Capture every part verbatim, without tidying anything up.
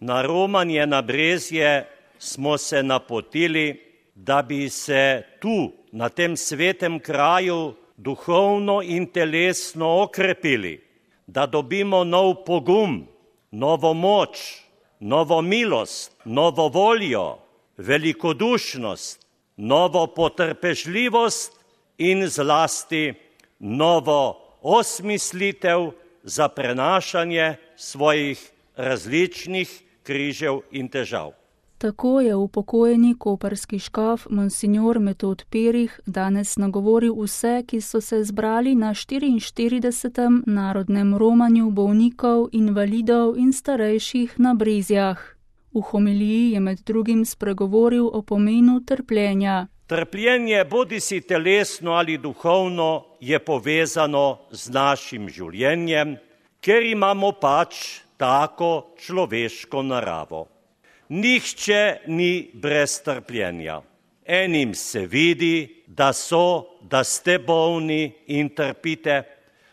Na romanje na Brezje smo se napotili, da bi se tu, na tem svetem kraju, duhovno in telesno okrepili, da dobimo nov pogum, novo moč, novo milost, novo voljo, velikodušnost, novo potrpežljivost in zlasti novo osmislitev za prenašanje svojih različnih križev in težav. Tako je upokojeni koprski škof monsignor Metod Perih danes nagovoril vse, ki so se zbrali na štiriinštiridesetem narodnem romanju bolnikov, invalidov in starejših na Brezjah. V homiliji je med drugim spregovoril o pomenu trpljenja. Trpljenje, bodisi telesno ali duhovno, je povezano z našim življenjem, ker imamo pač tako človeško naravo. Nihče ni brez trpljenja. Enim se vidi, da so, da ste bolni in trpite,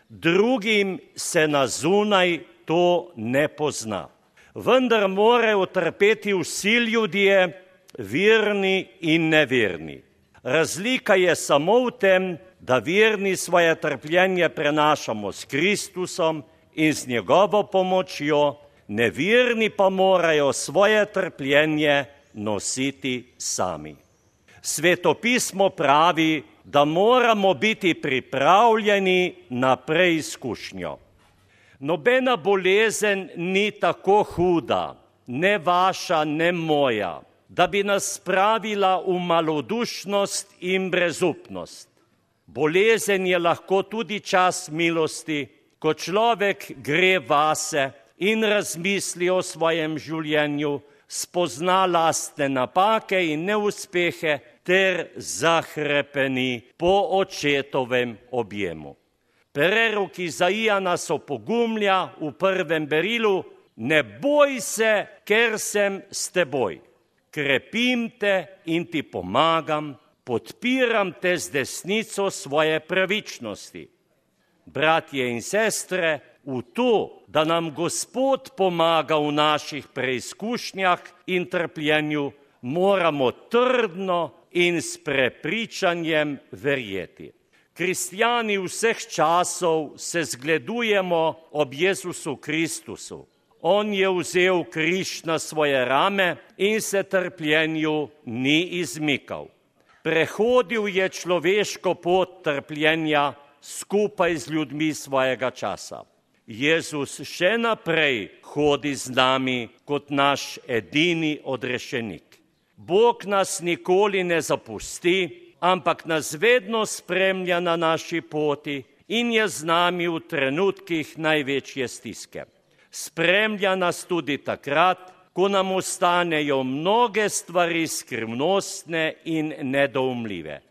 drugim se na zunaj to ne pozna. Vendar morajo trpeti vsi ljudje, verni in neverni. Razlika je samo v tem, da verni svoje trpljenje prenašamo s Kristusom in z njegovo pomočjo, neverni pa morajo svoje trpljenje nositi sami. Svetopismo pravi, da moramo biti pripravljeni na preizkušnjo. Nobena bolezen ni tako huda, ne vaša, ne moja, da bi nas spravila v malodušnost in brezupnost. Bolezen je lahko tudi čas milosti, ko človek gre vase in razmisli o svojem življenju, spozna lastne napake in neuspehe ter zahrepeni po očetovem objemu. Prerok Izaija nas opogumlja v prvem berilu: ne boj se, ker sem s teboj. Krepim te in ti pomagam, podpiram te z desnico svoje pravičnosti. Bratje in sestre, v to, da nam Gospod pomaga v naših preizkušnjah in trpljenju, moramo trdno in s prepričanjem verjeti. Kristjani vseh časov se zgledujemo ob Jezusu Kristusu. On je vzel križ na svoje rame in se trpljenju ni izmikal. Prehodil je človeško pot trpljenja skupaj z ljudmi svojega časa. Jezus še naprej hodi z nami kot naš edini odrešenik. Bog nas nikoli ne zapusti, ampak nas vedno spremlja na naši poti in je z nami v trenutkih največje stiske. Spremlja nas tudi takrat, ko nam ostanejo mnoge stvari skrivnostne in nedoumljive.